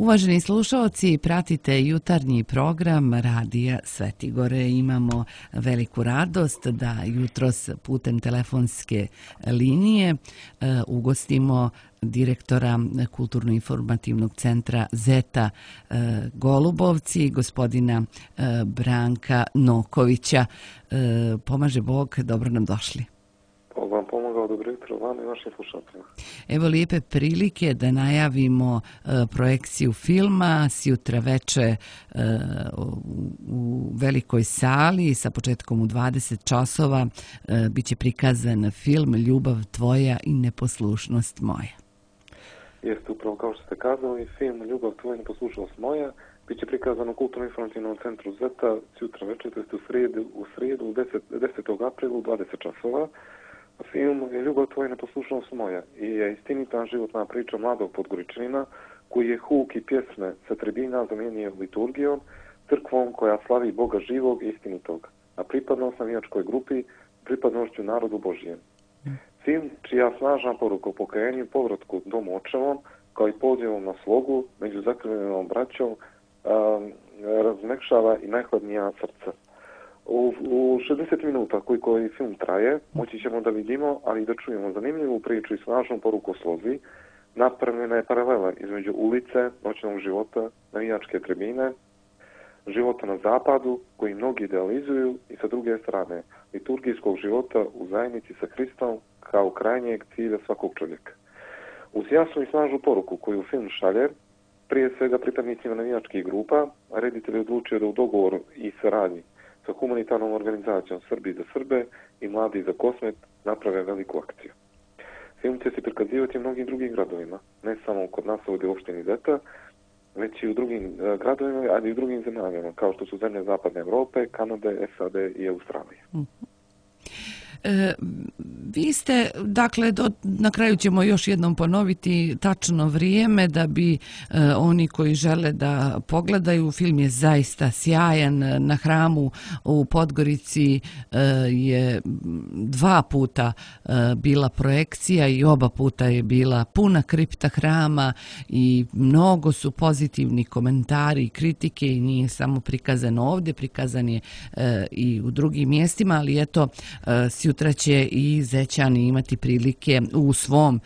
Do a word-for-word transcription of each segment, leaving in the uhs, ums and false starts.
Uvaženi slušaoci, pratite jutarnji program Radija Svetigore. Imamo veliku radost da jutros putem telefonske linije ugostimo direktora Kulturno-informativnog centra Zeta Golubovci, gospodina Branka Nokovića. Pomaže Bog, dobro nam došli. Bog vam pomogao, dobro jutro vam i vašim slušateljima. Evo lijepe prilike da najavimo uh, projekciju filma sjutra veče uh, u velikoj sali sa početkom u dvadeset časova. Uh, biće prikazan film Ljubav tvoja i neposlušnost moja. Jeste, upravo kao što ste kazali, film Ljubav tvoja i neposlušnost moja biće prikazan u Kulturno-informativnom centru Zeta sjutra večer, to jest u srijedu, u srijedu desetog aprila u dvadeset časova. Film je Ljubav tvoja i neposlušnost moja i je istinita životna priča mladog Podgoričanina koji je huk i pjesme sa tribina zamijenio liturgijom, crkvom koja slavi Boga živog i istinitog, a pripadnost navijačkoj grupi pripadnošću narodu Božijem. Film čija snažna poruka o pokajanju i povratku domu očevom, kao i pozivom na slogu među zakrivljenom braćom, um, razmekšava i najhladnija srca. U, u šezdeset minuta koji koji film traje, moći ćemo da vidimo, ali i da čujemo zanimljivu priču i snažnu poruku o slozi. Napravljena je paralela između ulice, noćnog života, navijačke tribine, života na zapadu, koji mnogi idealizuju, i sa druge strane, liturgijskog života u zajednici sa Hristom kao krajnjeg cilja svakog čovjeka. Uz jasnu i snažnu poruku koju film šalje, prije svega pripadnicima navijačkih grupa, reditelj je odlučio da u dogovoru i saradnji sa humanitarnom organizacijom Srbi za Srbe i Mladi za Kosmet naprave veliku akciju. Film će se prikazivati u mnogim drugim gradovima, ne samo kod nas ovdje u opštini Zeta, već i u drugim uh, gradovima, ali i u drugim zemljama, kao što su zemlje Zapadne Evrope, Kanade, S A D i Australije. Mm-hmm. E, vi ste, dakle, do, na kraju ćemo još jednom ponoviti tačno vrijeme da bi e, oni koji žele da pogledaju, film je zaista sjajan. Na Hramu u Podgorici e, je dva puta e, bila projekcija i oba puta je bila puna kripta Hrama i mnogo su pozitivni komentari i kritike i nije samo prikazan ovdje, prikazan je e, i u drugim mjestima, ali eto, e, sutra će i Zećani imati prilike u svom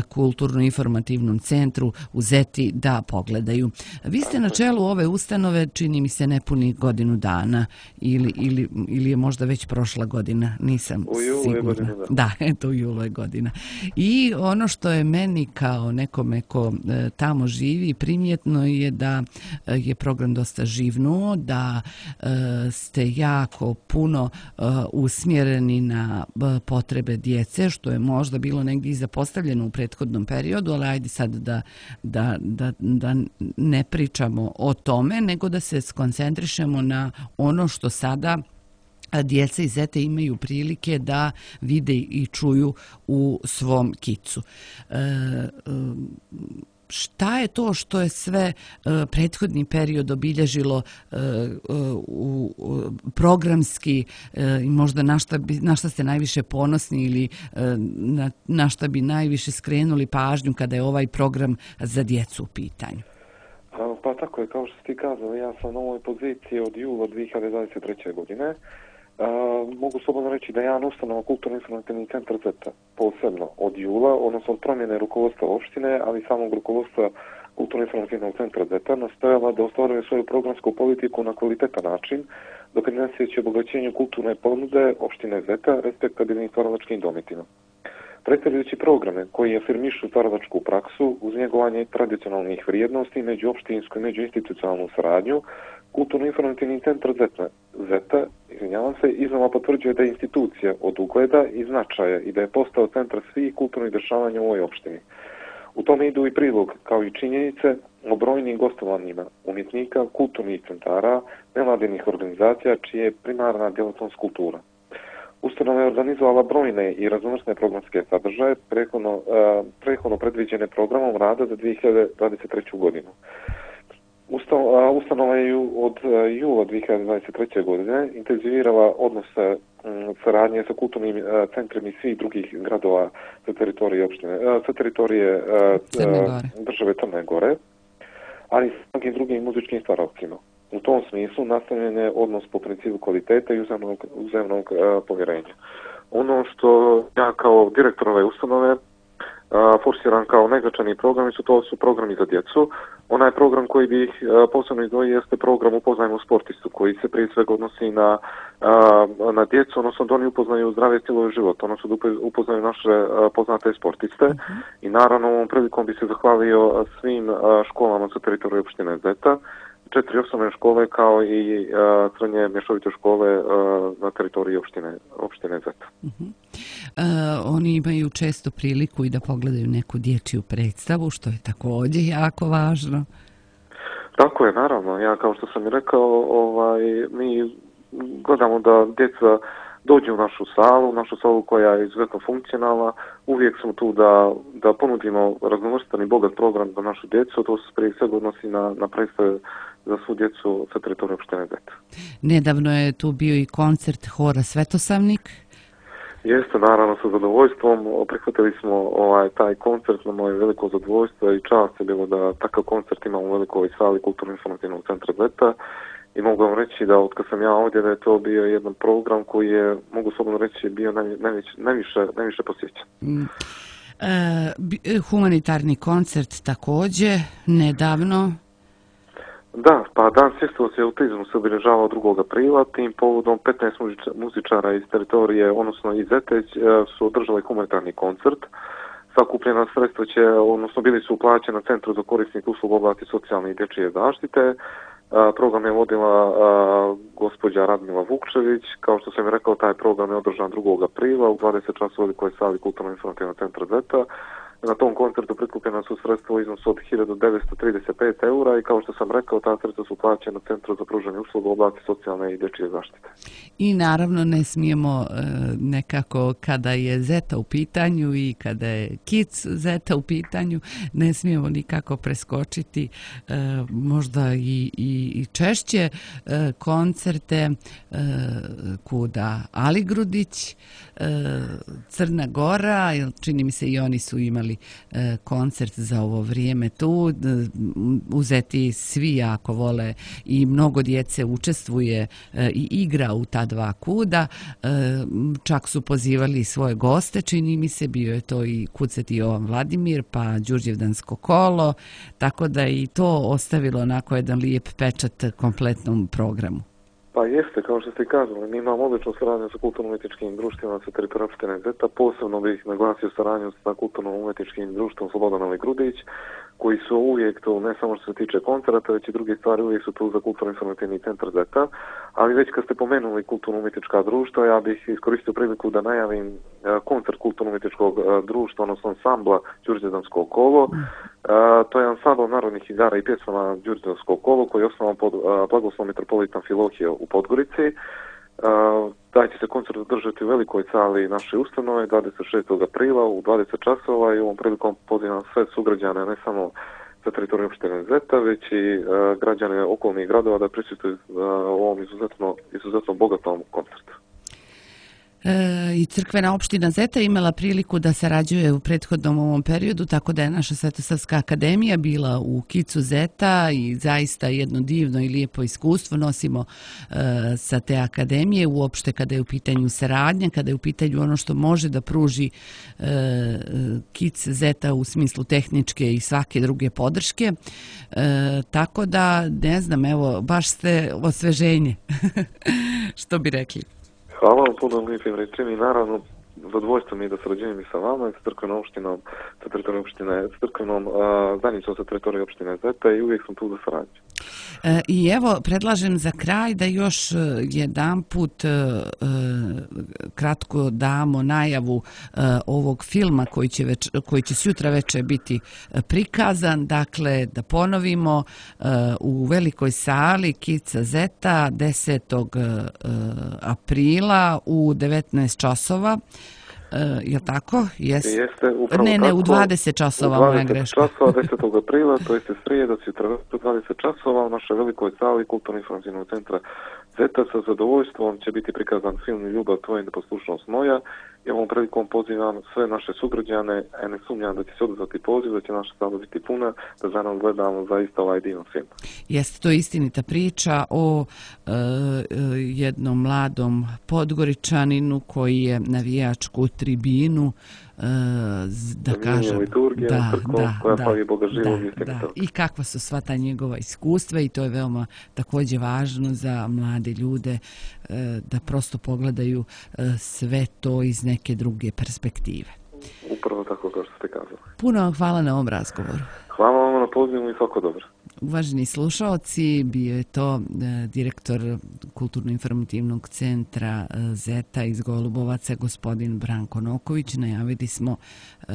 kulturno-informativnom centru u Zeti da pogledaju. Vi ste na čelu ove ustanove, čini mi se, nepuni godinu dana ili, ili, ili je možda već prošla godina, nisam sigurna. Godina, da. da, eto u julu je godina. I ono što je meni kao nekome ko e, tamo živi primjetno je da e, je program dosta živnuo, da e, ste jako puno e, usmjereni na potrebe djece, što je možda bilo negdje zapostavljeno u prethodnom periodu, ali ajde sad da, da, da, da ne pričamo o tome, nego da se skoncentrišemo na ono što sada djeca iz Zete imaju prilike da vide i čuju u svom kicu. E, e, Šta je to što je sve uh, prethodni period obilježilo uh, uh, uh, programski uh, i možda na šta, bi, na šta ste najviše ponosni ili uh, na, na šta bi najviše skrenuli pažnju kada je ovaj program za djecu u pitanju? Pa, pa tako je, kao što ste kazali, ja sam na ovoj poziciji od jula dvije hiljade dvadeset treće. godine. Uh, mogu slobodno reći da je jedan ustanova Kulturno-informativni centar Zeta posebno od jula, odnosno od promjene rukovodstva opštine, ali samog rukovodstva Kulturno-informativnog centra Zeta nastojala da ostvaruje svoju programsku politiku na kvalitetan način, doprineseći obogaćenju kulturne ponude opštine Zeta respektabilnim stvaralačkim dometima. Predstavljajući programe koji afirmišu stvaralačku praksu uz njegovanje tradicionalnih vrijednosti, međuopštinsku i međuinstitucionalnu saradnju, Kulturno-informativni centar Zeta, Zeta izvinjavam se, iznova potvrđuje da je institucija od ugleda i značaja i da je postao centar svih kulturnih dešavanja u ovoj opštini. U tome idu i prilog, kao i činjenice o brojnim gostovanjima umjetnika, kulturnih centara, nevladinih organizacija, čije je primarna djelatnost kultura. Ustanova je organizovala brojne i raznovrsne programske sadržaje, prethodno, uh, prethodno predviđene programom rada za dvije hiljade dvadeset treću. godinu. Ustanova je od jula dvije hiljade dvadeset treće. godine intenzivirala odnose saradnje sa kulturnim centrima svih drugih gradova sa teritorije opštine, sa teritorije Crne države Crne Gore. ali i s mnogim drugim muzičkim stvaralcima. U tom smislu nastavljen je odnos po principu kvalitete i uzemnog, uzemnog uh, povjerenja. Ono što ja kao direktor ove ustanove Uh, forsiran kao najznačajniji programi su to su programi za djecu. Onaj program koji bi ih uh, posebno izdvojio jeste program Upoznajmo sportistu, koji se prije svega odnosi na, uh, na djecu, odnosno da oni upoznaju zdrave stilove života, odnosno da upoznaju naše uh, poznate sportiste. Uh-huh. I naravno ovom prilikom bi se zahvalio svim uh, školama sa teritorije opštine Zeta, četiri osnovne škole kao i uh, srednje mješovite škole uh, na teritoriji opštine, opštine Zeta. Uh-huh. Uh, oni imaju često priliku i da pogledaju neku dječju predstavu, što je također jako važno. Tako je, naravno. Ja, kao što sam i rekao, ovaj, mi gledamo da djeca dođu u našu salu, našu salu koja je izuzetno funkcionalna. Uvijek smo tu da, da ponudimo raznovrstan i bogat program za našu djecu. To se prije svega odnosi na, na predstave za svu djecu sa teritorije opštine Zeta. Nedavno je tu bio i koncert hora Svetosavnik. Jeste, naravno, sa zadovoljstvom. Prihvatili smo ovaj, taj koncert, na moje veliko zadovoljstvo i čast je bilo da takav koncert imamo u velikoj sali Kulturno-informativnog centra Zeta. I mogu vam reći da od kad sam ja ovdje da je to bio jedan program koji je, mogu slobodno reći, bio najviše, najviše, najviše posjećan. Mm. E, humanitarni koncert također, nedavno. Da, pa dan svjesnosti autizmu se obilježava drugog aprila. Tim povodom petnaest muzičara iz teritorije, odnosno iz Zete, su održali humanitarni koncert. Sakupljena sredstva će, odnosno bili su uplaćeni na Centru za korisnik usluga u oblasti socijalne i dječje zaštite. Program je vodila a, gospođa Radmila Vukčević. Kao što sam je rekao, taj program je održan drugog aprila u dvadeset časova u velikoj sali Kulturno-informativnog centra Zeta. Na tom koncertu prikupljena su sredstva u iznosu od hiljadu devetsto trideset pet eura i kao što sam rekao, ta sredstva su plaćena na Centru za pružanje usluga u oblasti socijalne i dječje zaštite. I naravno ne smijemo nekako, kada je Zeta u pitanju i kada je Kids Zeta u pitanju, ne smijemo nikako preskočiti možda i, i, i češće koncerte kuda Ali Grudić, Crna Gora, čini mi se i oni su imali koncert za ovo vrijeme tu. U Zeti svi jako vole i mnogo djece učestvuje i igra u ta dva kuda. Čak su pozivali svoje goste, čini mi se, bio je to i Kuceti Jovan Vladimir, pa Đurđevdansko kolo, tako da i to ostavilo onako jedan lijep pečat kompletnom programu. Pa jeste, kao što ste kazali, mi imamo odličnu saradnju sa kulturno-umjetničkim društvima sa teritorija opštine Zeta. Posebno bih naglasio saradnju sa kulturno-umjetničkim društvom Slobodan Ali Grudić, koji su uvijek tu, ne samo što se tiče koncerta, već i druge stvari, uvijek su tu za kulturno-informativni centar Zeta. Ali već kad ste pomenuli kulturno-umjetnička društva, ja bih iskoristio priliku da najavim koncert kulturno-umjetničkog društva, odnosno ansambla Đurđevdansko kolo. Uh, to je ansambl narodnih igara i pjesama Đurđevdansko kolo koji je osnovan pod uh, blagoslovom metropolitan Filohije u Podgorici. Uh, taj će se koncert održati u velikoj sali naše ustanove dvadeset šestog aprila u dvadeset časova i ovom prilikom pozivam sve sugrađane, ne samo sa teritorije opštine Zeta, već i uh, građane okolnih gradova da prisustvuju uh, ovom izuzetno, izuzetno bogatom koncertu. E, i crkvena opština Zeta imala priliku da sarađuje u prethodnom ovom periodu, tako da je naša Svetosavska akademija bila u Kicu Zeta i zaista jedno divno i lijepo iskustvo nosimo e, sa te akademije, uopšte kada je u pitanju saradnja, kada je u pitanju ono što može da pruži e, Kic Zeta u smislu tehničke i svake druge podrške. E, tako da, ne znam, evo, baš ste osveženje, što bi rekli. Hvala vam puno lijepim rečima i naravno zadovoljstvo mi je da sarađujem i sa vama, sa crkvenom opštinom, sa teritorijom opštine, sa crkvenom zajednicom sa teritorijom opštine Zeta i uvijek sam tu za saradnju. E, I evo, predlažem za kraj da još jedan put e, kratko damo najavu e, ovog filma koji će, već, koji će sutra večer biti prikazan. Dakle, da ponovimo, e, u velikoj sali Kica Zeta desetog aprila u devetnaest časova. Uh, je tako? Jeste. Jeste, upravo ne, ne, tako. u dvadeset časova, moja greška. U dvadeset časova desetog aprila, to jeste srijeda, sutra u dvadeset časova u našoj velikoj sali Kulturno-informativnog centra Zeta. Sa zadovoljstvom će biti prikazan film Ljubav tvoja i neposlušnost moja Ja ovom prilikom pozivam sve naše sugrađane, a ne sumnjam da će se odazvati poziv, da će naša sala biti puna, da za nas gledamo zaista ovaj divan film. Jeste, to je istinita priča o e, jednom mladom Podgoričaninu koji je navijačku tribinu e, da kažem liturgija, da, crkva, da, koja da, pravi Boga živog, da, da. I kakva su sva ta njegova iskustva i to je veoma također važno za mlade ljude e, da prosto pogledaju e, sve to iz neke druge perspektive. Upravo tako kao što ste kazali. Puno vam hvala na ovom razgovoru. Hvala vam na pozivu i svako dobro. Uvaženi slušaoci, bio je to e, direktor Kulturno-informativnog centra e, Zeta iz Golubovaca, gospodin Branko Noković. Najavili smo e,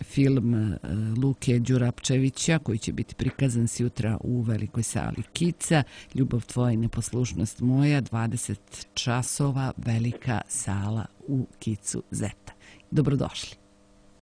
film e, Luke Đurapčevića koji će biti prikazan sutra u velikoj sali Kica. Ljubav tvoja i neposlušnost moja, dvadeset časova, velika sala u Kicu Zeta. Dobrodošli.